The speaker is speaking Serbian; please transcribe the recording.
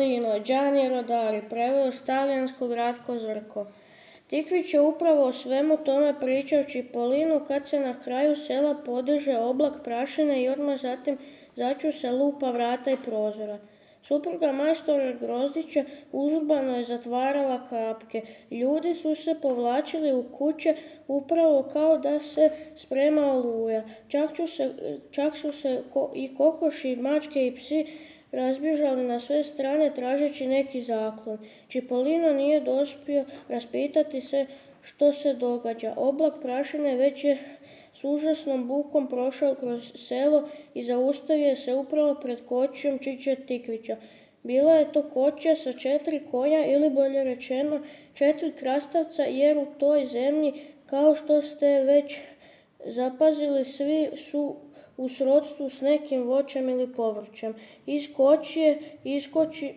Cipollino, Gianni Rodari, preveo s talijanskog Ratko Zrko. Tikvić je upravo o svemu tome pričao Cipollinu kad se na kraju sela podiže oblak prašine i odmah zatim začu se lupa vrata i prozora. Supruga majstora Grozdića užurbano je zatvarala kapke. Ljudi su se povlačili u kuće upravo kao da se sprema oluja. Čak su se i kokoši, mačke i psi razbježali na sve strane tražeći neki zaklon. Cipollino nije dospio raspitati se što se događa. Oblak prašine već je s užasnom bukom prošao kroz selo i zaustavio se upravo pred kočijom Čiče Tikvića. Bila je to kočija sa 4 konja ili bolje rečeno 4 krastavca, jer u toj zemlji, kao što ste već zapazili, svi su u srodstvu s nekim voćem ili povrćem. Iz kočije iskoči